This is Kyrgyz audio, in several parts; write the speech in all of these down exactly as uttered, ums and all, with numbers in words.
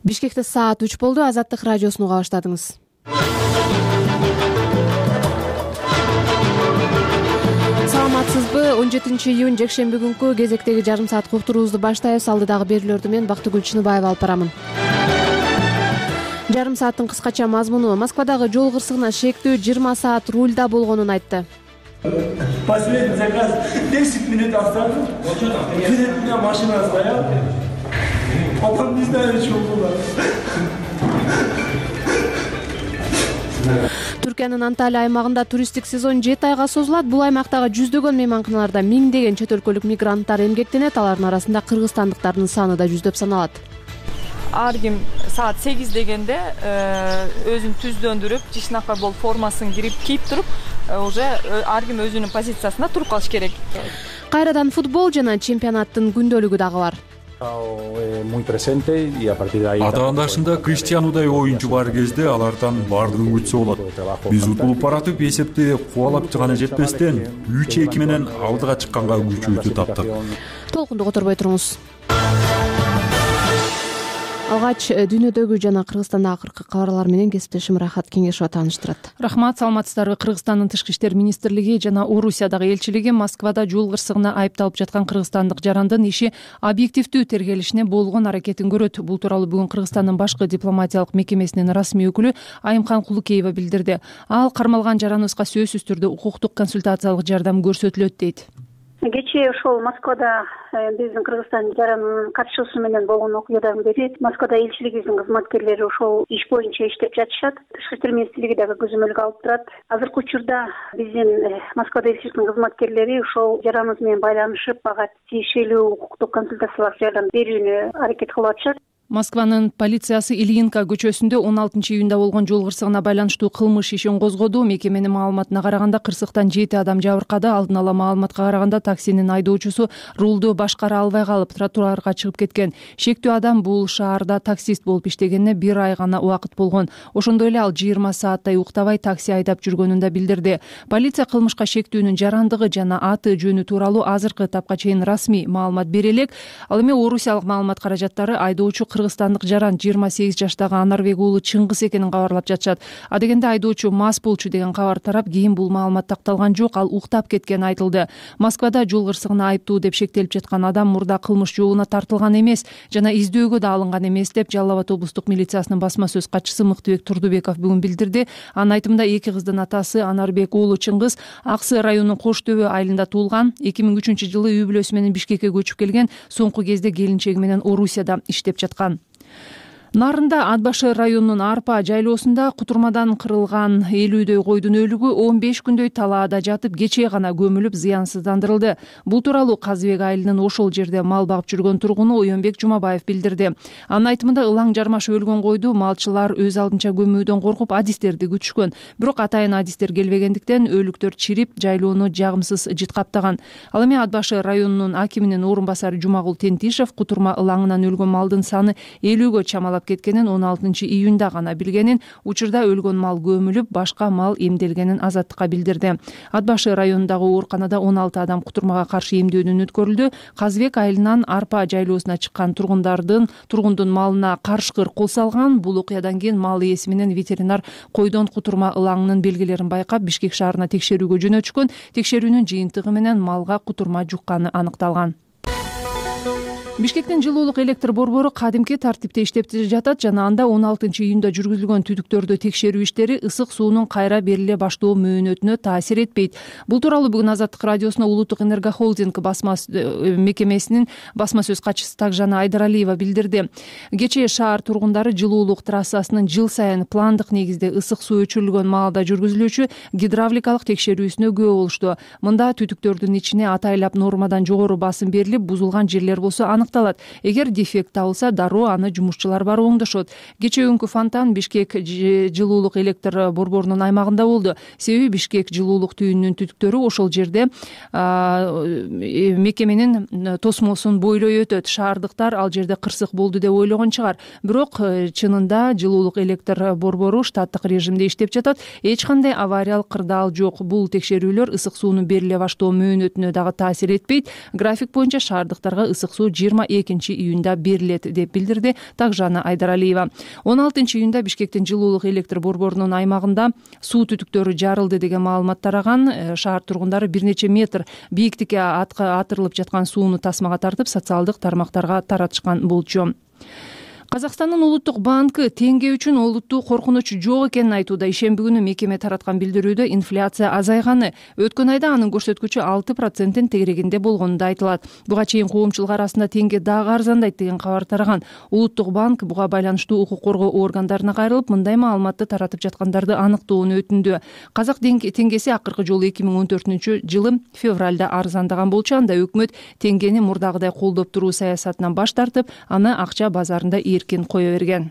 Бишкекте саат үч болду. Азаттык радиосун уга баштадыңыз. Саламатсызбы? он жетинчи июнь жекшемби күнкү кезектеги жарым саат уктуруубузду баштайбыз. Алдыдагы берүүлөрдү мен Бактыгүл Чыныбаева алып барамын. Жарым сааттын кыскача мазмуну: Москвадагы жол кырсыгына шектүү жыйырма саат рульда болгонун айтты. Последний заказ десять минут осталось. Перед меня машина стояла. Потом не знаю, что было. Түркиянын Анталия аймагында туристтик сезон жети айга созулат. Бул аймактагы жүздөгөн мейманканаларда миңдеген чет өлкөлүк мигранттар эмгектенет. Алардын арасында кыргызстандыктардын саны да жүздөп саналат. Ар ким саат сегиз дегенде өзүн түздөндүрүп, жишнакай болуп формасын кирип кийип туруп, уже ар ким өзүнүн позициясында туруп калыш керек. Кайрадан футбол жана чемпионаттын күндөлүгү дагы бар. Атаандашында Криштианудай оюнчу бар кезде алардан бардыгын күтсө болот. Биз утулуп баратып, эсепти кубалап гана жетпестен үч эки менен алдыга чыкканга күчүбүздү таптык. Толкунду которбой туруңуз. Алгач дүйнөдөгү жана Кыргызстандагы акыркы кабарлар менен кесиптешим Рахат Кеңешова тааныштырат. Рахмат, саламатсыздарбы? Кыргызстандын Тышкы иштер министрлиги жана Орусиядагы элчилиги Москвада жол кырсыгына айыпталып жаткан кыргызстандык жарандын иши объективдүү тергелишине болгон аракетин көрөт. Бул тууралуу бүгүн Кыргызстандын башкы дипломатиялык мекемесинин расмий өкүлү Айымкан Кулукеева билдирди. Ал кармалган жараныбызга сөзсүз түрдө укуктук консультациялык жардам көрсөтүлөт дейт. Кечээ ошол Москвада биздин Кыргызстан жаранынын катышуусу менен болгон окуядан бери Москвада элчилигибиздин кызматкерлери ошол иш боюнча иштеп жатышат. Тышкы иштер министрлиги дагы көзөмөлгө алып турат. Азыркы учурда биздин Москвада элчиликтин кызматкерлери ошол жараныбыз менен байланышып, ага тиешелүү укуктук консультациялык жардам берүүнү аракет кылып атышат. Москванын полициясы Ильинка көчөсүндө он алтынчы июнда болгон жол кырсыгына байланыштуу кылмыш ишин козгоду. Мекеменин маалыматына караганда кырсыктан жети адам жабыркады. Алдын ала маалыматка караганда таксинин айдоочусу рулду башкара албай калып тротуарга чыгып кеткен. Шектүү адам бул шаарда таксист болуп иштегенине бир ай гана убакыт болгон. Ошондой эле ал жыйырма сааттай уктабай такси айдап жүргөнүн да билдирди. Полиция кылмышка шектүүнүн жарандыгы жана аты жөнү тууралуу азыркы этапка чейин расмий маалымат бере элек. Ал эми орусиялык маалымат каражаттары айдоочу кыргызстандык жаран жыйырма сегиз жаштагы Анарбек уулу Чыңгыз экенин кабарлап жатышат. Адегенде айдоочу мас болчу деген кабар тарап, кийин бул маалымат такталган жок, ал уктап кеткени айтылды. Москвада жол кырсыгына айыптуу деп шектелип жаткан адам мурда кылмыш жообуна тартылган эмес жана издөөгө да алынган эмес деп Жалал Абад облустук милициясынын басма сөз катчысы Мыктыбек Турдубеков бүгүн билдирди. Анын айтымында эки кыздын атасы Анарбек уулу Чыңгыз Ак Сый районунун Кош Төбө айылында туулган. эки миң үчүнчү жылы үй бүлөсү менен Бишкекке көчүп келген. Соңку кезде келинчеги менен Орусияда иштеп жаткан. Нарында Ат башы районунун Арпа жайлоосунда кутурмадан кырылган элүүдөй койдун өлүгү он беш күндөй талаада жатып, кечээ гана көмүлүп зыянсыздандырылды. Бул тууралуу Казыбек айылынын ошол жерде мал багып жүргөн тургуну Оюнбек Жумабаев билдирди. Анын айтымында ылаң жармашып өлгөн койду малчылар өз алдынча көмүүдөн коркуп адистерди күтүшкөн. Бирок атайын адистер келбегендиктен өлүктөр чирип, жайлоону жагымсыз жыт каптаган. Ал эми Ат башы районунун акиминин орун басары Жумагул Тентишев кутурма ылаңынан өлгөн малдын саны элүүгө чамалап кеткенин он алтынчы июнда гана билгенин, учурда өлгөн мал көмүлүп, башка мал эмделгенин Азаттыкка билдирди. Ат башы районундагы ооруканада он алты адам кутурмага каршы эмдөөдөн өткөрүлдү. Казыбек айылынан Арпа жайлоосуна чыккан тургундардын тургундун малына карышкыр кол салган. Бул окуядан кийин мал ээси менен ветеринар койдон кутурма ылаңынын белгилерин байкап, Бишкек шаарына текшерүүгө жөнөтүшкөн. Текшерүүнүн жыйынтыгы менен малга кутурма жукканы аныкталган. Бишкектин жылуулук электр борбору кадимки тартипте иштеп жатат жана анда он алтынчы июнда жүргүзүлгөн түтүктөрдү текшерүү иштери ысык суунун кайра бериле баштоо мөөнөтүнө таасир этпейт. Бул тууралуу бүгүн Азаттык радиосуна Улуттук энергохолдинг басма мекемесинин басма сөз катчысы Такжан Айдаралиева билдирди. Кечээ шаар тургундары жылуулук трассасынын жыл сайын пландык негизде ысык суу өчүрүлгөн маалда жүргүзүлүүчү гидравликалык текшерүүсүнө күбө болушту. Мында түтүктөрдүн ичине атайлап нормадан жогору басым берилип, бузулган жерлер болсо аныкталат. Эгер дефект табылса, дароо аны жумушчулар барып оңдошот. Кечээ күнкү фонтан Бишкек жылуулук электр борборунун аймагында болду. Себеби Бишкек жылуулук түйүнүнүн түтүктөрү ошол жерде мекеменин тосмосун бойлой өтөт. Шаардыктар ал жерде кырсык болду деп ойлогон чыгар. Бирок чынында жылуулук электр борбору штаттык режимде иштеп жатат. Эч кандай авариялык кырдаал жок. Бул текшерүүлөр ысык суунун бериле баштоо мөөнөтүнө дагы таасир этпейт. График боюнча шаардыктарга ысык суу жыйырма форма экинчи июнда берилет деп билдирди Такжана Айдаралиева. он алтынчы июнда Бишкектин жылуулук электр борборунун аймагында суу түтүктөрү жарылды деген маалымат тараган. Шаар тургундары бир нече метр бийиктикке атырылып жаткан сууну тасмага тартып социалдык тармактарга таратышкан болчу. Казакстандын улуттук банкы теңге үчүн олуттуу коркунуч жок экенин айтууда. Ишемби күнү мекеме тараткан билдирүүдө инфляция азайганы, өткөн айда анын көрсөткүчү алты проценттин тегерегинде болгону айтылат. Буга чейин коомчулук арасында теңге дагы арзандайт деген кабар тараган. Улуттук банк буга байланыштуу укук коргоо органдарына кайрылып, мындай маалыматты таратып жаткандарды аныктоону өтүндү. Казак теңгеси акыркы жолу эки миң он төртүнчү жылы февралда арзандаган болчу. Анда өкмөт теңгени мурдагыдай колдоп туруу саясатынан баш тартып, аны акча базарында эркин кое берген.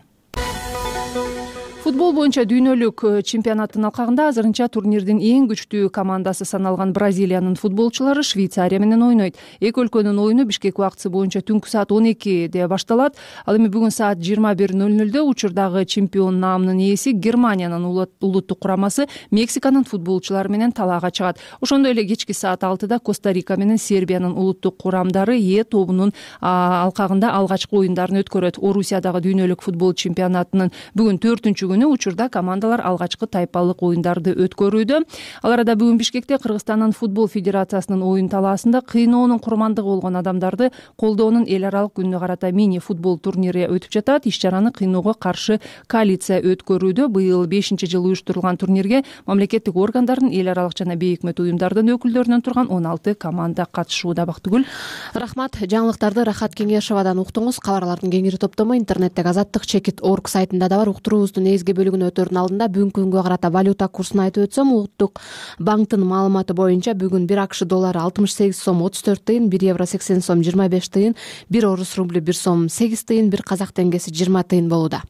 Футбол боюнча дүйнөлүк чемпионаттын алкагында азырынча турнирдин эң күчтүү командасы саналган Бразилиянын футболчулары Швейцария менен ойнойт. Эки өлкөнүн ойуну Бишкек убактысы боюнча түнкү саат он экиде башталат. Ал эми бүгүн саат жыйырма бир ноль нольдө учурдагы чемпион наамынын ээси Германиянын улуттук курамасы Мексиканын футболчулары менен талаага чыгат. Ошондой эле кечки саат алтыда Коста-Рика менен Сербиянын улуттук курамдары Е тобунун алкагында алгачкы оюндарын өткөрөт. Орусиядагы дүйнөлүк футбол чемпионатынын бүгүн төртүнчү күнү учурда командалар алгачкы тайпалык оюндарды өткөрүүдө. Ал арада бүгүн Бишкекте Кыргызстандын футбол федерациясынын оюн талаасында кыйноонун курмандыгы болгон адамдарды колдоонун эл аралык күнүнө карата мини футбол турнири өтүп жатат. Иш-чараны кыйноого каршы коалиция өткөрүүдө. Быйыл бешинчи жыл уюштурулган турнирге мамлекеттик органдардын, эл аралык жана бейөкмөт уюмдардын өкүлдөрүнөн турган он алты команда катышууда. Бактыгүл, рахмат. Жаңылыктарды Рахат Кеңешовадан уктуңуз. Кабарлардын кеңири топтому интернеттеги азаттык чекит точка орг сайтында да бар. Уктуруубуздун негизги бөлүгүнө өтөрдүн алдында бүгүнкү күнгө карата валюта курсун айтып өтсөм, улуттук банктын маалыматы боюнча бүгүн бир АКШ доллары алтымыш сегиз сом отуз төрт тыйын, бир евро сексен сом жыйырма беш тыйын, бир орус рублю бир сом сегиз тыйын, бир казак теңгеси жыйырма тыйын болууда.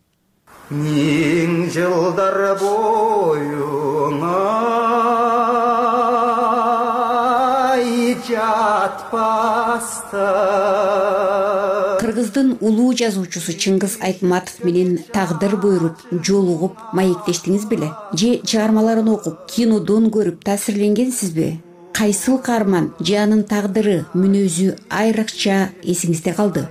Миң жылдар боюңа жатпаста. Кыргыздын улуу жазуучусу Чыңгыз Айтматов менен тагдыр буйруп жолугуп маектештиңиз беле? Же чыгармаларын окуп, кинодон көрүп таасирленгенсизби? Кайсыл каарман же анын тагдыры, мүнөзү айрыкча эсиңизде калды?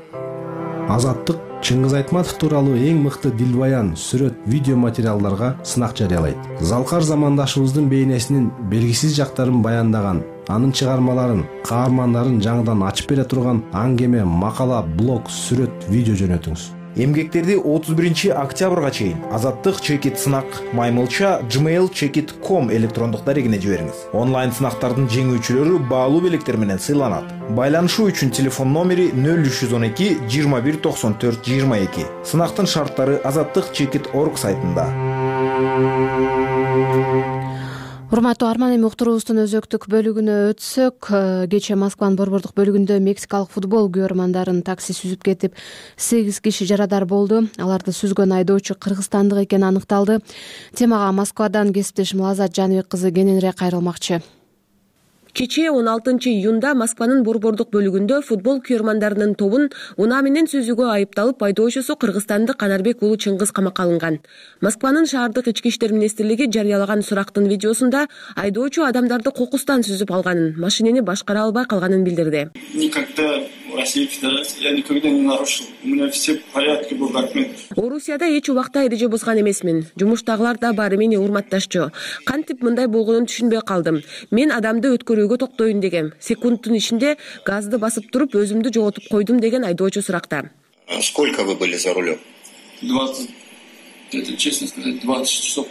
Азаттык Чыңгыз Айтматов тууралуу эң мыкты дилбаян, сүрөт, видео материалдарга сынак жарыялайт. Залкар замандашыбыздын бейнесинин белгисиз жактарын баяндаган, анын чыгармаларын, каармандарын жаңыдан ачып бере турган аңгеме, макала, блог, сүрөт, видео жөнөтүңүз. Эмгектерди отуз биринчи октябрга чейин Азаттык чекит сынак маймылча gmail чекит точка ком электрондук дарегине жибериңиз. Онлайн сынактардын жеңүүчүлөрү баалуу белектер менен сыйланат. Байланышуу үчүн телефон номери нөл үч жүз он эки жыйырма бир токсон төрт жыйырма эки. Сынактын шарттары азаттык чекит точка орг сайтында. Урматтуу арман, эми уктуруубуздун өзөктүк бөлүгүнө өтсөк, кечээ Москванын борбордук бөлүгүндө мексикалык футбол көрөрмандарын такси сүзүп кетип, сегиз киши жарадар болду. Аларды сүзгөн айдоочу кыргызстандык экени аныкталды. Темага Москвадан кесиптешим Лазат Жаныбек кызы кененирээк кайрылмакчы. Кечээ он алтынчы июнда Москванын борбордук бөлүгүндө футбол күйөрмандарынын тобун унаа менен сүзүүгө айыпталып айдоочусу кыргызстандык Канарбек уулу Чыңгыз камакка алынган. Москванын шаардык ички иштер министрлиги жарыялаган сурактын видеосунда айдоочу адамдарды кокустан сүзүп алганын, машинени башкара албай калганын билдирди. Никогда в России Федерации я никогда не нарушил. У меня все в порядке, был документ. Орусияда эч убакта эреже бузган эмесмин. Жумуштагылар да баары мени урматташчу. Кантип мындай болгонун түшүнбөй калдым. Мен адамды өткөрүүгө токтоюн дегем. Секундтун ичинде газды басып туруп өзүмдү жоготуп койдум деген айдоочу суракта. Сколько вы были за рулем? двадцать, это честно сказать, двадцать часов.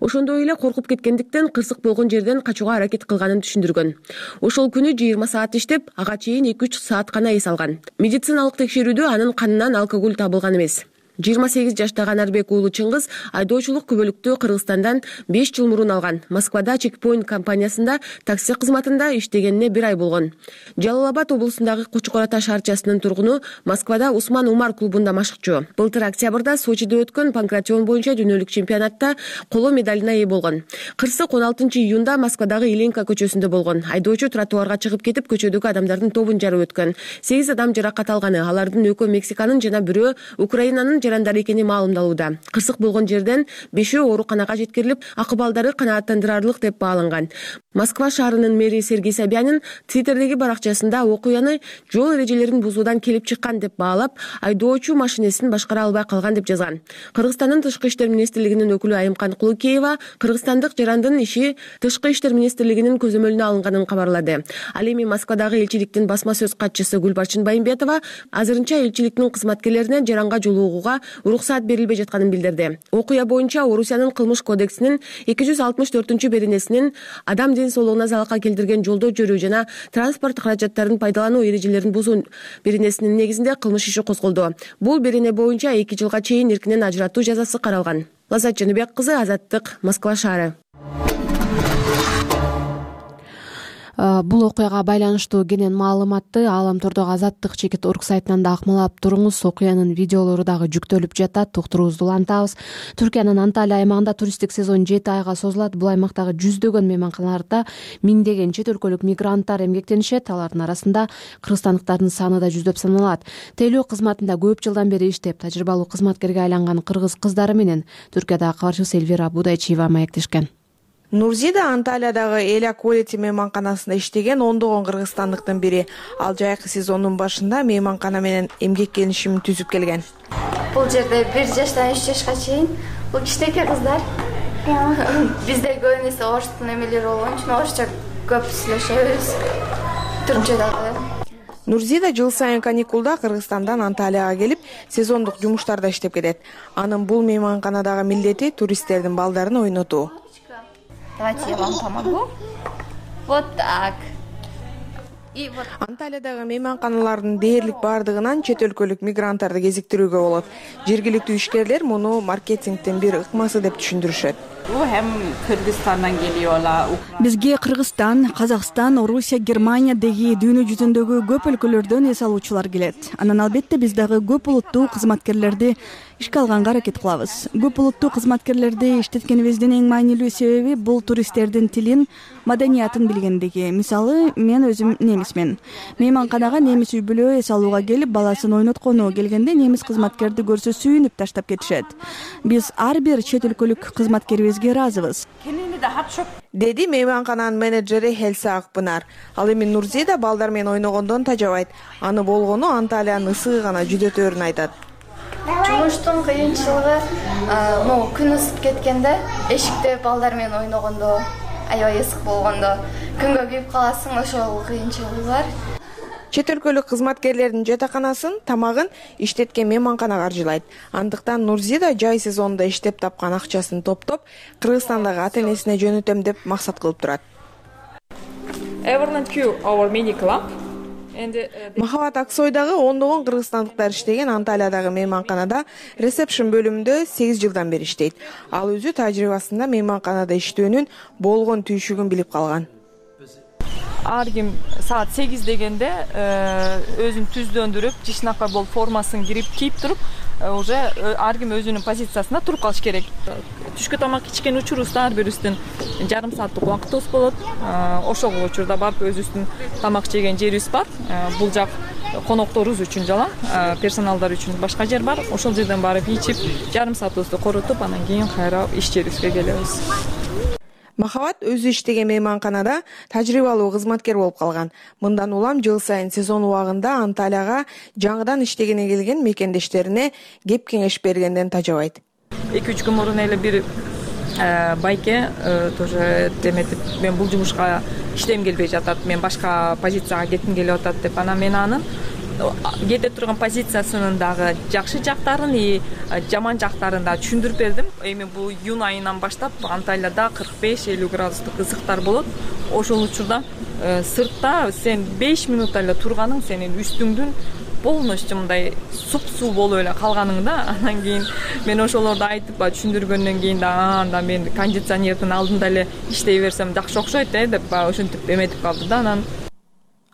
Ошондой эле коркуп кеткендиктен кырсык болгон жерден качууга аракет кылганын түшүндүргөн. Ошол күнү жыйырма саат иштеп, ага чейин эки үч саат гана эс алган. Медициналык текшерүүдө анын канынан алкоголь табылган эмес. жыйырма сегиз жаштагы Канарбек уулу Чыңгыз айдоочулук күбөлүктү Кыргызстандан беш жыл мурун алган. Москвада Чекпоинт компаниясында такси кызматында иштегенине бир ай болгон. Жалал Абад облусундагы Кучкор Ата шаарчасынын тургуну, Москвада Усман Умар клубунда машыкчу. Былтыр октябрда Сочиде өткөн панкратион боюнча дүйнөлүк чемпионатта коло медалине ээ болгон. Кырсык он алтынчы июнда Москвадагы Иленка көчөсүндө болгон. Айдоочу тротуарга чыгып кетип, көчөдөгү адамдардын тобун жарып өткөн. сегиз адам жаракат алганы, алардын экөө Мексиканын жана бирөө Украинанын жарандар экени маалымдалууда. Кырсык болгон жерден бешөө ооруканага жеткирилип, акыбалдары канааттандырарлык деп бааланган. Москва шаарынын мэри Сергей Собянин Твиттердеги баракчасында окуяны жол эрежелерин бузуудан келип чыккан деп баалап, айдоочу машинесин башкара албай калган деп жазган. Кыргызстандын тышкы иштер министрлигинин өкүлү Айымкан Кулукеева кыргызстандык жарандын иши тышкы иштер министрлигинин көзөмөлүнө алынганын кабарлады. Ал эми Москвадагы элчиликтин басма сөз катчысы Гүлбарчын Байымбетова азырынча элчиликтин кызматкерлерине жаранга жолугууга уруксаат берилбей жатканын билдирди. Окуя боюнча Орусиянын кылмыш кодексинин эки жүз алтымыш төртүнчү беренесинин адам ден соолугуна залалка келтирген жолдо жүрүү жана транспорт каражаттарын пайдалануу эрежелерин бузуу беренесинин негизинде кылмыш иши козголду. Бул берене боюнча эки жылга чейин эркинен ажыратуу жазасы каралган. Лаззат Жаныбек кызы, Азаттык, Москва шаары. Бул окуяга байланыштуу кенен маалыматты Ааламтордогу Азаттык чекит точка орг сайтынан да акмалап туруңуз. Окуянын видеолору дагы жүктөлүп жатат. Уктуруубузду улантабыз. Түркиянын Анталия аймагында туристтик сезон жети айга созулат. Бул аймактагы жүздөгөн мейманканаларда миңдеген чет өлкөлүк мигранттар эмгектенишет. Алардын арасында кыргызстандыктардын саны да жүздөп саналат. Тейлөө кызматында көп жылдан бери иштеп, тажрыйбалуу кызматкерге айланган кыргыз кыздары менен Түркиядагы кабарчыбыз Эльвира Будайчиева маектешкен. Нурзида Анталиядагы Эля Quality мейманканасында иштеген ондогон кыргызстандыктын бири. Ал жайкы сезондун башында мейманкана менен эмгек келишимин түзүп келген. Бул жерде бир жаштан үч жашка чейин бул кичинекей кыздар. Бизде көбүнесе оштун эмелери болгон үчүн орусча көп сүйлөшөбүз. Түркчө дагы. Нурзида жыл сайын каникулда Кыргызстандан Анталияга келип, сезондук жумуштарда иштеп кетет. Анын бул мейманканадагы милдети туристтердин балдарын ойнотуу. Давайте я вам помогу. Вот так. И вот. Анталиядагы мейманканалардын дээрлик бардыгынан чет өлкөлүк мигранттарды кезиктирүүгө болот. Жергиликтүү ишкерлер муну маркетингдин бир ыкмасы деп түшүндүрүшөт. Bu hem Kırgızistan'dan geliyorlar. Бизге Кыргызстан, Казакстан, Орусия, Германия деги дүйнө жүзүндөгү көп өлкөлөрдөн эс алуучулар келет. Анан албетте биз дагы көп улуттуу кызматкерлерди ишке алганга аракет кылабыз. Көп улуттуу кызматкерлерди иштеткенибиздин эң маанилүү себеби бул туристтердин тилин, маданиятын билгендиги. Мисалы, мен өзүм немисмен. Мейманканага немис үй бүлө эс алууга келип, баласын ойноткону келгенде немис кызматкерди көрсө сүйүнүп таштап кетишет. Биз ар бир чет өлкөлүк кызматкерибизге ыраазыбыз. Деди мейманкананын менеджери Хелса Акпынар. Ал эми Нурзида балдар менен ойногондон тажабайт. Аны болгону Анталиянын ысыгы гана жүдөтөөрүн айтат. Жумуштун кыйынчылыгы, ну, күн ысып кеткенде, эшикте балдар менен ойногондо, аябай ысык болгондо, күнгө күйүп каласың, ошол кыйынчылыгы бар. Чет өлкөлүк кызматкерлердин жатаканасын, тамагын иштеткен мейманкана каржылайт. Андыктан Нурзида жай сезонунда иштеп тапкан акчасын топтоп, Кыргызстандагы ата-энесине жөнөтөм деп максат кылып турат. Everland Q, our mini club. Махабат Аксойдагы ондогон кыргызстандыктар иштеген Анталиядагы мейманканада ресепшн бөлүмүндө сегиз жылдан бери иштейт. Ал өзү тажрыйбасында мейманканада иштөөнүн болгон түйшүгүн билип калган. Ар ким саат сегиз дегенде өзүн түздөндүрүп, жишнакай болуп формасын кирип кийип туруп, уже ар ким өзүнүн позициясына туруп калыш керек. Түшкү тамак ичкен учурубузда ар бирибиздин жарым сааттык убактыбыз болот. Ошол учурда барып өзүбүздүн тамак жеген жерибиз бар. Бул жак конокторубуз үчүн жала, персоналдар үчүн башка жер бар. Ошол жерден барып ичип, жарым саатыбызды коротуп, анан кийин кайра иш жерибизге келебиз. Махабат өзү иштеген мейманканада тажрыйбалуу кызматкер болуп калган. Мындан улам жыл сайын сезон убагында Анталияга жаңыдан иштегене келген мекендештерине кеп кеңеш бергенден тажабайт. эки үч күн мурун эле бир байке тоже деметип, мен бул жумушка иштегим келбей жатат, мен башка позицияга кетким келип атат деп, анан мен анын кете турган позициясынын дагы жакшы жактарын и жаман жактарын да түшүндүрүп бердим. Эми бул июнь айынан баштап Анталияда кырк беш элүү градустук ысыктар болот. Ошол учурда сыртта сен беш минут эле турганың сенин үстүңдүн полностью мындай суп-суу болуп эле калганыңда, анан кийин мен ошолорду айтып түшүндүргөндөн кийин да анда мен кондиционердин алдында эле иштей берсем жакшы окшойт э деп ошентип эметип калды да. Анан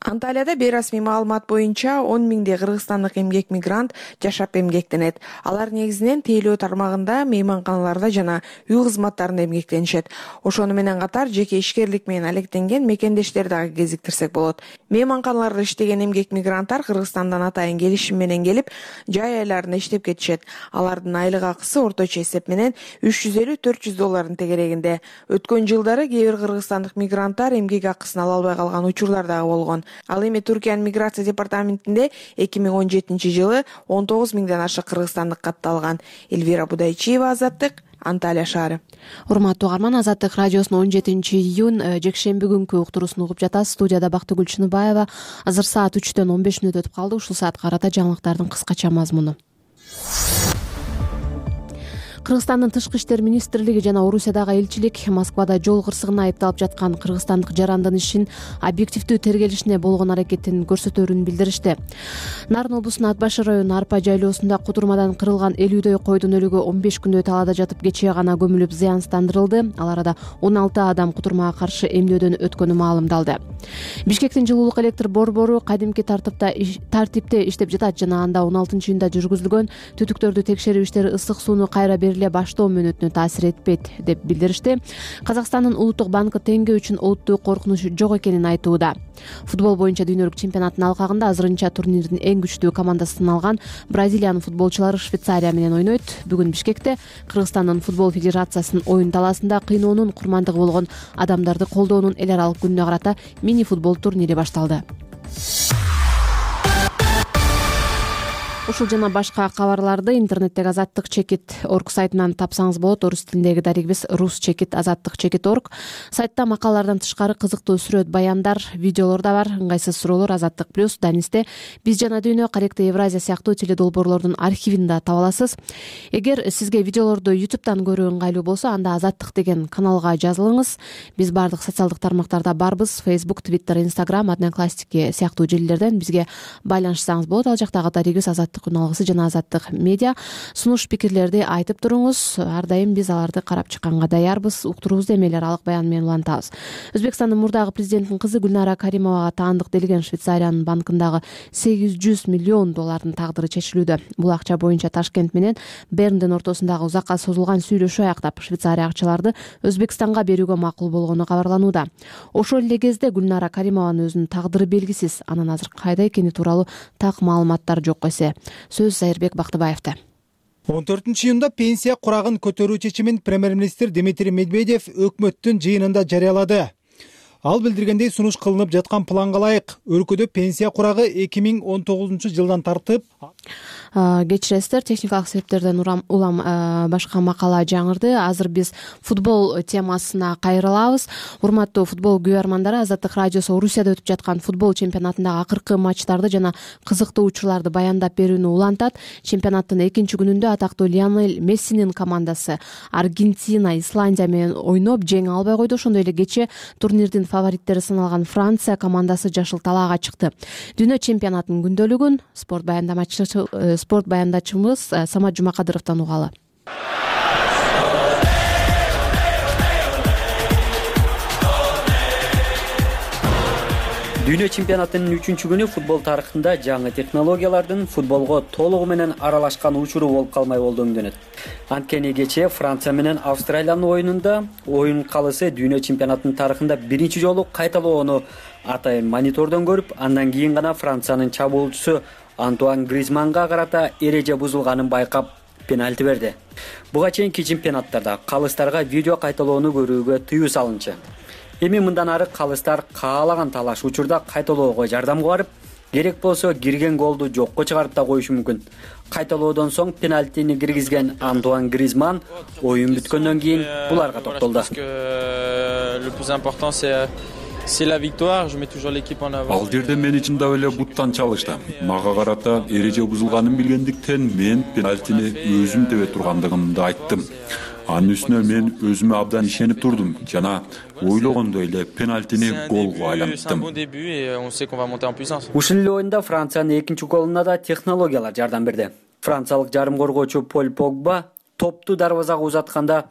Анталияда бейрасмий маалымат боюнча он миңдей кыргызстандык эмгек мигрант жашап эмгектенет. Алар негизинен тейлөө тармагында, мейманканаларда жана үй кызматтарында эмгектенишет. Ошону менен катар жеке ишкерлик менен алектенген мекендештер дагы кезиктирсек болот. Мейманканаларда иштеген эмгек мигранттар Кыргызстандан атайын келишим менен келип, жай айларында иштеп кетишет. Алардын айлык акысы орточо эсеп менен үч жүз элүү төрт жүз доллардын тегерегинде. Өткөн жылдары кээ бир кыргызстандык мигранттар эмгек акысын ала албай калган учурлар дагы болгон. Ал эми Түркиянын миграция департаментинде эки миң он жетинчи жылы он тогуз миңден ашык кыргызстандык катталган. Эльвира Будайчиева, Азаттык, Анталия шаары. Урматтуу угарман, Азаттык радиосунун он жетинчи июнь жекшемби күнкү уктуруусун угуп жатасыз. Студияда Бактыгүл Чыныбаева. Азыр саат үчтөн он беш мүнөт өтүп калды. Ушул саатка карата жаңылыктардын кыскача мазмуну. Кыргызстандын тышкы иштер министрлиги жана Орусиядагы элчилик Москвада жол кырсыгына айыпталып жаткан кыргызстандык жарандын ишин объективдүү тергелишине болгон аракетин көрсөтөөрүн билдиришти. Нарын облусунун Ат башы району Арпа жайлоосунда кудурмадан кырылган элүүдөй койдун өлүгү он беш күндөй талаада жатып кечээ гана көмүлүп зыянсыздандырылды. Ал арада он алты адам кудурмага каршы эмнөөдөн өткөнү маалымдалды. Бишкектин жылуулук электр борбору кадимки тартипте тартипте иштеп жатат жана анда он алтынчы июнда жүргүзүлгөн түтүктөрдү текшерүү иштери ысык сууну кайра бериле баштоо мүнөтүнө таасир этпейт деп билдиришти. Казакстандын улуттук банкы теңге үчүн олуттуу коркунуч жок экенин айтууда. Футбол боюнча дүйнөлүк чемпионаттын алкагында азырынча турнирдин эң күчтүү командасын алган Бразилиянын футболчулары Швейцария менен ойнойт. Бүгүн Бишкекте Кыргызстандын футбол федерациясынын оюн талаасында кыйноонун курмандыгы болгон адамдарды колдоонун эл аралык күнүнө карата мини футбол турнири башталды. Ушул жана башка кабарларды интернеттеги азаттык чекит точка орг сайтынан тапсаңыз болот. Орус тилиндеги дарегибиз рус чекит азаттык чекит точка орг. Сайтта макалалардан тышкары кызыктуу сүрөт, баяндар, видеолор да бар. Ыңгайсыз суроолор Азаттык плюс, Данисте, Биз жана дүйнө, Каректе Евразия сыяктуу теледолбоорлордун архивин да таба аласыз. Эгер сизге видеолорду ютубтан көрүү ыңгайлуу болсо, анда Азаттык деген каналга жазылыңыз. Биз бардык социалдык тармактарда барбыз. Facebook, Twitter, Instagram, Одноклассники сыяктуу желилерден бизге байланышсаңыз болот. Ал жактагы дарегибиз Азаттык күналгысы жана Азаттык медиа. Сунуш пикирлерди айтып туруңуз. Ар дайым биз аларды карап чыкканга даярбыз. Уктуруубузду эми эле аралык баян менен улантабыз. Өзбекстандын мурдагы президентинин кызы Гүлнара Каримовага таандык делген Швейцариянын банкындагы сегиз жүз миллион доллардын тагдыры чечилүүдө. Бул акча боюнча Ташкент менен Берндин ортосундагы узакка созулган сүйлөшүү аяктап Швейцария акчаларды Өзбекстанга берүүгө макул болгону кабарланууда. Ошол эле кезде Гүлнара Каримованын өзүнүн тагдыры белгисиз. Анын азыр кайда экени тууралуу так маалыматтар жок эсе. Сөз Зайырбек Бактыбаевда. он төртүнчү июнда пенсия курагын көтөрүү чечимин премьер-министр Дмитрий Медведев өкмөттүн жыйынында жарыялады. Ал билдиргендей, сунуш кылынып жаткан планга ылайык өлкөдө пенсия курагы эки миң он тогузунчу жылдан тартып кечиресиздер, техникалык себептерден улам башка макала жаңырды. Азыр биз футбол темасына кайрылабыз. Урматтуу футбол күйөрмандары, Азаттык радиосу Орусияда өтүп жаткан футбол чемпионатындагы акыркы матчтарды жана кызыктуу учурларды баяндап берүүнү улантат. Чемпионаттын экинчи күнүндө атактуу Лионель Мессинин командасы Аргентина, Исландия менен ойноп жеңе албай койду. Ошондой эле кечээ турнирдин фавориттери саналган Франция командасы жашыл талаага чыкты. Дүйнө чемпионатынын күндөлүгүн спорт баяндамачысы спорт баяндачыбыз Самат Жумакадыровдон угалы. Дүйнө чемпионатынын үчүнчү күнү футбол тарыхында жаңы технологиялардын футболго толугу менен аралашкан учуру болуп калмай болду өңдөнөт. Анткени кечээ Франция менен Австралиянын оюнунда оюн калысы дүйнө чемпионатынын тарыхында биринчи жолу кайталоону атайын монитордон көрүп, андан кийин гана Франциянын чабуулчусу Антуан Гризманга карата эреже бузулганын байкап пенальти берди. Буга чейинки чемпионаттарда калыстарга видео кайталоону көрүүгө тыюу салынчы. Эми мындан ары калыстар каалаган талаш учурда кайталоого жардамга барып, керек болсо кирген голду жокко чыгарып да коюшу мүмкүн. Кайталоодон соң пенальтини киргизген Антуан Гризман оюн бүткөндөн кийин буларга токтолду. C'est la victoire, je mets toujours l'équipe en avant. Ал жерде мени чындап эле буттан чалышты. Мага карата эреже бузулганын билгендиктен мен пенальтини өзүм тебе тургандыгымды айттым. Анын үстүнө мен өзүмө абдан ишенип турдум жана ойлогондой эле пенальтини голго айланттым. Ушул эле оюнда Франциянын экинчи голуна да технологиялар жардам берди. Франциялык жарым коргоочу Поль Погба топту дарбазага узатканда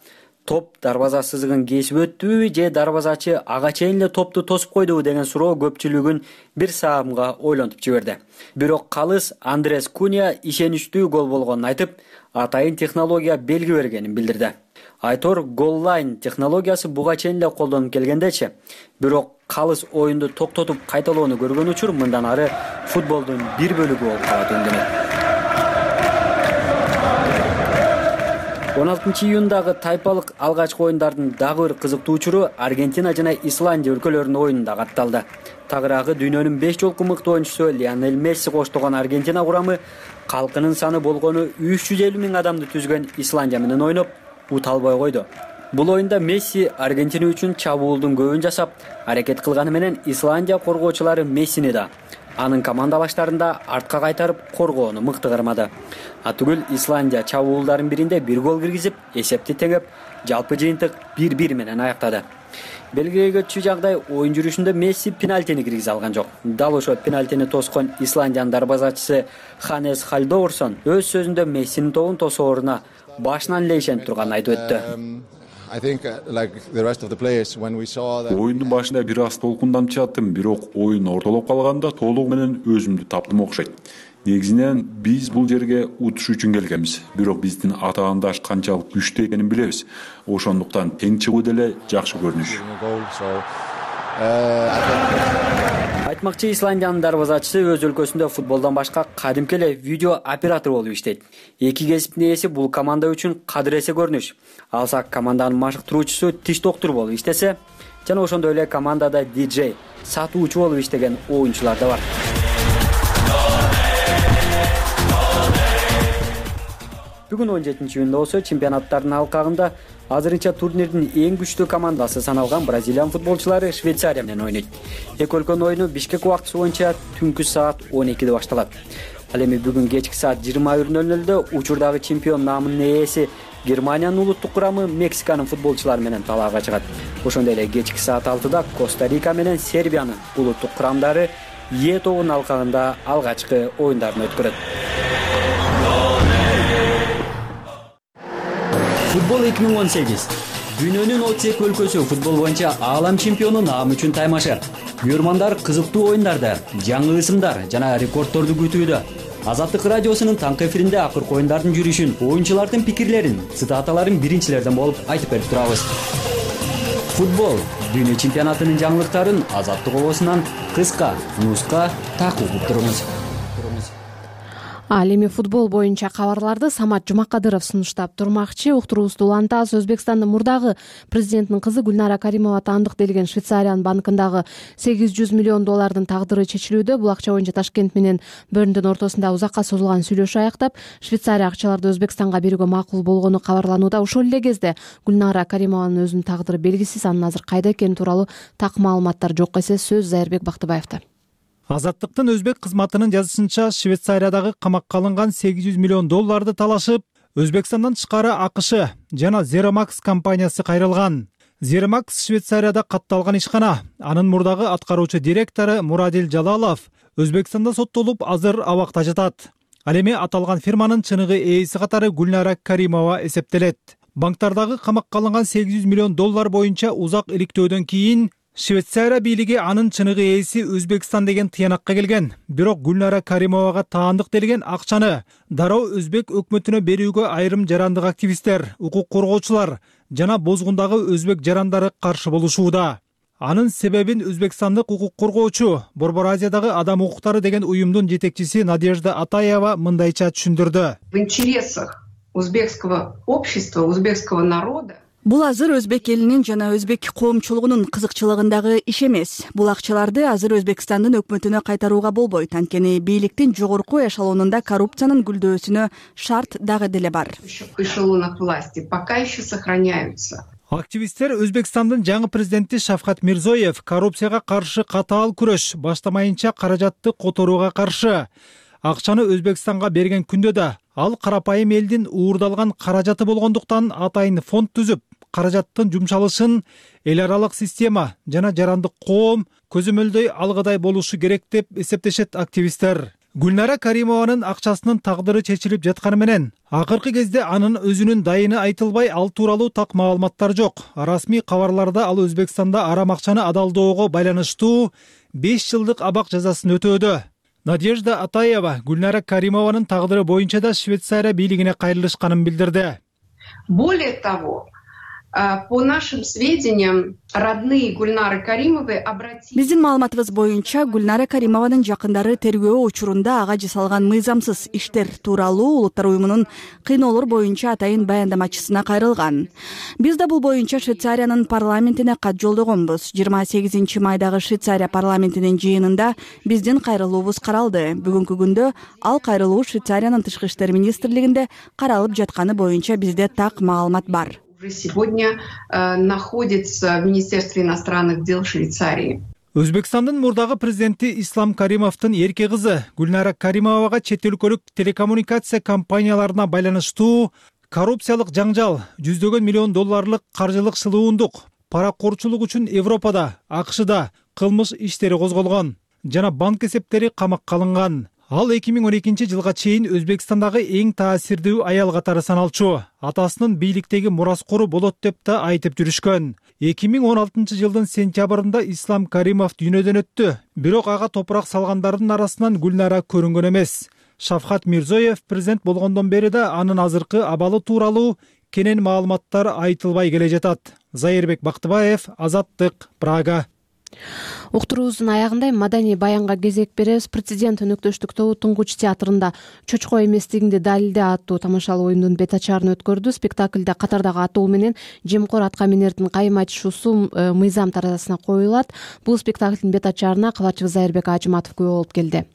топ дарбаза сызыгын кесип өттүбү же дарбазачы ага чейин эле топту тосуп койдубу деген суроо көпчүлүгүн бир саамга ойлонтуп жиберди. Бирок калыс Андрес Куня ишеничтүү гол болгонун айтып, атайын технология белги бергенин билдирди. Айтор голлайн технологиясы буга чейин эле колдонуп келгендечи, бирок калыс оюнду токтотуп кайталоону көргөн учур мындан ары футболдун бир бөлүгү болуп калат өндөнөт. он алтынчы июндагы тайпалык алгачкы оюндардын дагы бир кызыктуу учуру Аргентина жана Исландия өлкөлөрүнүн оюнунда катталды. Тагыраагы дүйнөнүн беш жолку мыкты оюнчусу Лионель Месси коштогон Аргентина курамы калкынын саны болгону үч жүз элүү миң адамды түзгөн Исландия менен ойноп, ут албай койду. Бул оюнда Месси Аргентина үчүн чабуулдун көбүн жасап, аракет кылганы менен Исландия коргоочулары Мессини да, анын командалаштарында артка кайтарып коргоону мыкты кармады. Атүгүл Исландия чабуулдардын биринде бир гол киргизип, эсепти теңеп, жалпы жыйынтык бир бир менен аяктады. Белгилеге түшүү жагдай оюн жүрүшүндө Месси пенальтини киргизе алган жок. Дал ошо пенальтини тоскон Исландиянын дарбазачысы Ханес Халдоорсон өз сөзүндө Мессинин тобун тосооруна башынан эле ишенип турганын айтып өттү. Оюндун башында бир аз толкунданып чыгаттым, бирок оюн ортолоп калганда толугу менен өзүмдү таптым окшойт. Негизинен биз бул жерге утуш үчүн келгенбиз, бирок биздин атаандаш канчалык күчтүү экенин билебиз. Ошондуктан тең чыгуу деле жакшы көрүнүш. Айтмакчы, Исландиянын дарбазачысы өз өлкөсүндө футболдон башка кадимки эле видео оператор болуп иштейт. Эки кесиптин ээси бул команда үчүн кадыресе көрүнүш. Алсак команданын машыктыруучусу тиш доктуру болуп иштесе, жана ошондой эле командада диджей, сатуучу болуп иштеген оюнчулар да бар. Бүгүн он жетинчи июнда болсо чемпионаттардын алкагында азырынча турнирдин эң күчтүү командасы саналган Бразилиянын футболчулары Швейцария менен ойнойт. Эки өлкөнүн оюну Бишкек убактысы боюнча түнкү саат он экиде башталат. Ал эми бүгүн кечки саат жыйырма бир нөл нөлдө учурдагы чемпион наамынын ээси Германиянын улуттук курамы Мексиканын футболчулары менен талаага чыгат. Ошондой эле кечки саат алтыда Коста-Рика менен Сербиянын улуттук курамдары Е тобунун алкагында алгачкы оюндарын өткөрөт. Футбол эки миң он сегиз. Дүйнөнүн отуз эки өлкөсү футбол боюнча аалам чемпиону наам үчүн таймашы. Көрөрмандар кызыктуу оюндарды, жаңы ысымдар жана рекордторду күтүүдө. Азаттык радиосунун таңкы эфиринде акыркы оюндардын жүрүшүн, оюнчулардын пикирлерин, цитаталарын биринчилерден болуп айтып берип турабыз. Футбол дүйнө чемпионатынын жаңылыктарын Азаттык обосунан кыска, нуска так угуп туруңуз. Ал эми футбол боюнча кабарларды Самат Жумакадыров сунуштап турмакчы. Уктуруубузду улантабыз. Өзбекстандын мурдагы президентинин кызы Гүлнара Каримова таандык делген Швейцариянын банкындагы сегиз жүз миллион доллардын тагдыры чечилүүдө. Бул акча боюнча Ташкент менен Берндин ортосунда узакка созулган сүйлөшүү аяктап, Швейцария акчаларды Өзбекстанга берүүгө макул болгону кабарланууда. Ошол эле кезде Гүлнара Каримованын өзүнүн тагдыры белгисиз. Анын азыр кайда экени тууралуу так маалыматтар жок эсе. Сөз Зайырбек Бактыбаевда. Азаттыктын өзбек кызматынын жазышынча, Швейцариядагы камакка алынган сегиз жүз миллион долларды талашып, Өзбекстандан тышкары АКШ жана Zeramax компаниясы кайрылган. Zeramax Швейцарияда катталган ишкана. Анын мурдагы аткаруучу директору Мурадил Жалалов Өзбекстанда соттолуп, азыр абакта жатат. Ал эми аталган фирманын чыныгы ээси катары Гүлнара Каримова эсептелет. Банктардагы камакка алынган сегиз жүз миллион доллар боюнча узак иликтөөдөн кийин Швейцария бийлиги анын чыныгы ээси Өзбекстан деген тыянакка келген. Бирок Гүлнара Каримовага таандык делген акчаны дароо өзбек өкмөтүнө берүүгө айрым жарандык активисттер, укук коргоочулар жана бозгундагы өзбек жарандары каршы болушууда. Анын себебин өзбекстандык укук коргоочу, Борбор Азиядагы адам укуктары деген уюмдун жетекчиси Надежда Атаева мындайча түшүндүрдү. В интересах узбекского общества, узбекского народа Бул азыр өзбек элинин жана өзбек коомчулугунун кызыкчылыгындагы иш эмес. Бул акчаларды азыр Өзбекстандын өкмөтүнө кайтарууга болбойт. Анткени бийликтин жогорку эшелонунда коррупциянын гүлдөөсүнө шарт дагы деле бар. В эшелонах власти пока еще сохраняются. Активисттер Өзбекстандын жаңы президенти Шавкат Мирзоев коррупцияга каршы катаал күрөш баштамайынча каражатты которууга каршы. Акчаны Өзбекстанга берген күндө да ал карапайым элдин уурдалган каражаты болгондуктан атайын фонд түзүп, каражаттын жумшалышын эл аралык система жана жарандык коом көзөмөлдөй алгыдай болушу керек деп эсептешет активисттер. Гүлнара Каримованын акчасынын тагдыры чечилип жатканы менен Акыркы кезде анын өзүнүн дайыны айтылбай, ал тууралуу так маалыматтар жок. Расмий кабарларда ал Өзбекстанда арам акчаны адалдоого байланыштуу беш жылдык абак жазасын өтөөдө. Надежда Атаева Гүлнара Каримованын тагдыры боюнча да Швейцария бийлигине кайрылышканын билдирди. Более того, по нашим сведениям, родные Гульнары Каримовой обратились... Биздин маалыматыбыз боюнча Гүлнара Каримованын жакындары тергөө учурунда ага жасалган мыйзамсыз иштер тууралуу Улуттар уюмунун кыйноолор боюнча атайын баяндамачысына кайрылган. Биз да бул боюнча Швейцариянын парламентине кат жолдогонбуз. жыйырма сегизинчи майдагы Швейцария парламентинин жыйынында биздин кайрылуубуз каралды. Бүгүнкү күндө ал кайрылуу Швейцариянын тышкы иштер министрлигинде каралып жатканы боюнча бизде так маалымат бар. Уже сегодня э, находится в Министерстве иностранных дел Швейцарии. Өзбекстандын мурдагы президенти Ислам Каримовдун эрке кызы Гүлнара Каримовага чет өлкөлүк телекоммуникация компанияларына байланыштуу коррупциялык жаңжал, жүздөгөн миллион долларлык каржылык шылуундук, паракорчулук үчүн Европада, АКШда кылмыш иштери козголгон жана банк эсептери камакка алынган. Ал эки миң он экинчи жылга чейин Өзбекстандагы эң таасирдүү аял катары саналчу. Атасынын бийликтеги мураскору болот деп да айтып жүрүшкөн. эки миң он алтынчы жылдын сентябрында Ислам Каримов дүйнөдөн өттү. Бирок ага топурак салгандардын арасынан Гүлнара көрүнгөн эмес. Шавкат Мирзоев президент болгондон бери да анын азыркы абалы тууралуу кенен маалыматтар айтылбай келе жатат. Зайырбек Бактыбаев, Азаттык, Прага. Уктуруубуздун аягында маданий баянга кезек беребиз. Президент өнөктөштүк тобу Туңгуч театрында чочко эместигиңди далилде аттуу тамашалуу оюндун бет ачарын өткөрдү. Спектакльде катардагы атоо менен жемкор атка минердин кайым айтышуусу мыйзам таразасына коюлат. Бул спектаклдин бет ачарына кабарчыбыз Зайырбек Ажыматов күбө болуп келди.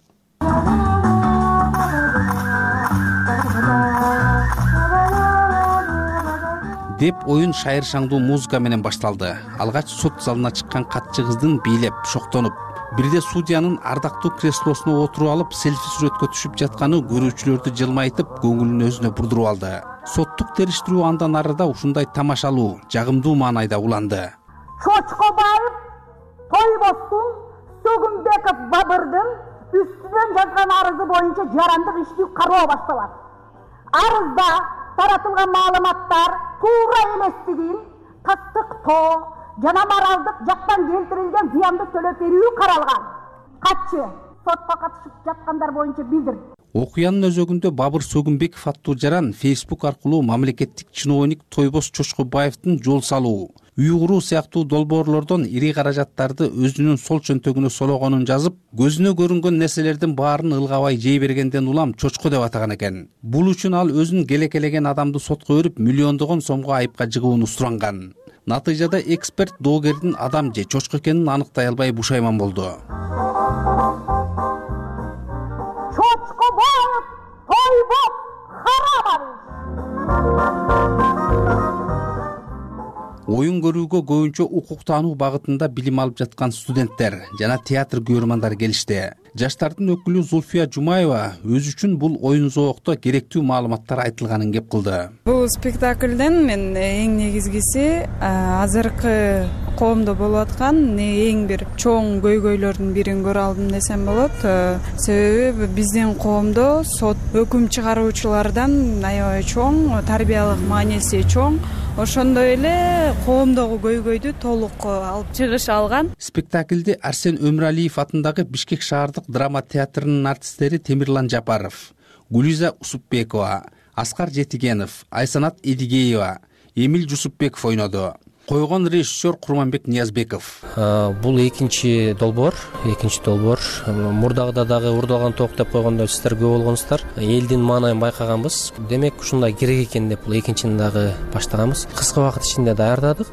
деп оюн шайыр шаңдуу музыка менен башталды. Алгач сот залына чыккан катчы кыздын бийлеп, шоктонуп, бирде судьянын ардактуу креслосуна отуруп алып, селфи сүрөткө түшүп жатканы көрүүчүлөрдү жылмайтып, көңүлүн өзүнө бурдуруп алды. Соттук териштирүү андан арыда ушундай тамашалуу, жагымдуу маанайда уланды. Чочкобаев Тойбостун Сөгүнбеков Бабырдын үстүнөн жазган арызы боюнча жарандык ишти кароо башталат. Арызда таратылган маалыматтар туура эместигин тастыктоо жана моралдык жактан келтирилген зыянды төлөп берүү каралган. Катчы сотко катышып жаткандар боюнча билдирди. Окуянын өзөгүндө Бабыр Сөгүнбеков аттуу жаран Facebook аркылуу мамлекеттик чиновник Тойбос Чочкобаевдин жол салуу, үй куруу сыяктуу долбоорлордон ири каражаттарды өзүнүн сол чөнтөгүнө сологонун жазып, көзүнө көрүнгөн нерселердин баарын ылгабай жей бергенден улам чочко деп атаган экен. Бул үчүн ал өзүн келекелеген адамды сотко берип, миллиондогон сомго айыпка жыгууну суранган. Натыйжада эксперт доогердин адам же чочко экенин аныктай албай бушайман болду. Чочкобаев Тойбос Харабович. Оюн көрүүгө көбүнчө укук таануу багытында билим алып жаткан студенттер жана театр көрөрмандар келишти. Жаштардын өкүлү Зульфия Жумаева өзү үчүн бул оюн зоокто керектүү маалыматтар айтылганын кеп кылды. Бул спектакльден мен эң негизгиси азыркы коомдо болуп аткан эң бир чоң көйгөйлөрдүн бирин көрө алдым десем болот. Себеби биздин коомдо сот өкүм чыгаруучулардан аябай чоң, тарбиялык мааниси чоң. Ошондой эле коомдогу көйгөйдү толук алып чыгыша алган. Спектакльде Арсен Өмүралиев атындагы Бишкек шаардык драма театрынын артисттери Темирлан Жапаров, Гулиза Усупбекова, Аскар Жетигенов, Айсанат Эдигеева, Эмил Жусупбеков ойноду. Койгон режиссер Курманбек Ниязбеков. Бул экинчи долбоор, экинчи долбоор. Мурдагыда дагы урдалган ток деп койгондо сиздер көп болгонсуздар. Элдин маанайын байкаганбыз. Демек ушундай керек экен деп бул экинчини дагы баштаганбыз. Кыска убакыт ичинде даярдадык.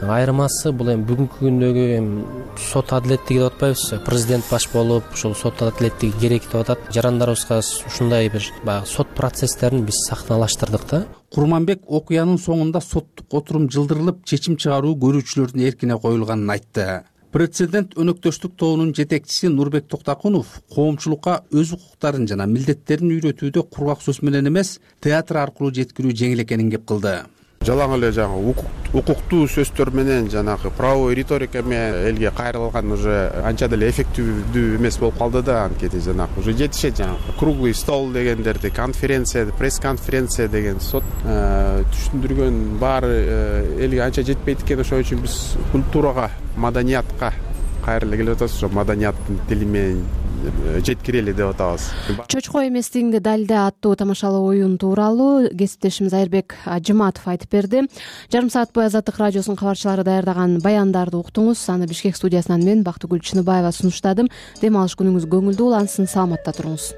Айырмасы бул эми бүгүнкү күндөгү эми сот адилеттиги деп атпайбыз. Президент баш болуп, ушул сот адилеттиги керек деп атат. Жарандарыбызга ушундай бир баягы сот процесстерин биз сахналаштырдык да. Курманбек окуянын соңунда соттук отурум жылдырылып, чечим чыгаруу көрүүчүлөрдүн эркине коюлганын айтты. Президент өнөктөштүк тобунун жетекчиси Нурбек Токтакунов коомчулукка өз укуктарын жана милдеттерин үйрөтүүдө кургак сөз менен эмес, театр аркылуу жеткирүү жеңил экенин кеп кылды. жалаң эле жанагы укуктуу сөздөр менен жанагы правовой риторика менен элге кайрылган уже анча деле эффективдүү эмес болуп калды да. Анткени жанагы уже жетишет жанагы круглый стол дегендерди, конференция, пресс-конференция деген сот түшүндүргөн баары элге анча жетпейт экен. Ошон үчүн биз культурага, маданиятка кайра эле келип атабыз. Ошо маданияттын тили менен жеткирели деп атабыз. Чочко эместигиңди далилде аттуу тамашалуу оюн тууралуу кесиптешимиз Айырбек Жыматов айтып берди. Жарым саат бою Азаттык радиосунун кабарчылары даярдаган баяндарды уктуңуз. Аны Бишкек студиясынан мен Бактыгүл Чыныбаева сунуштадым. Дем алыш күнүңүз көңүлдүү улансын, саламатта туруңуз.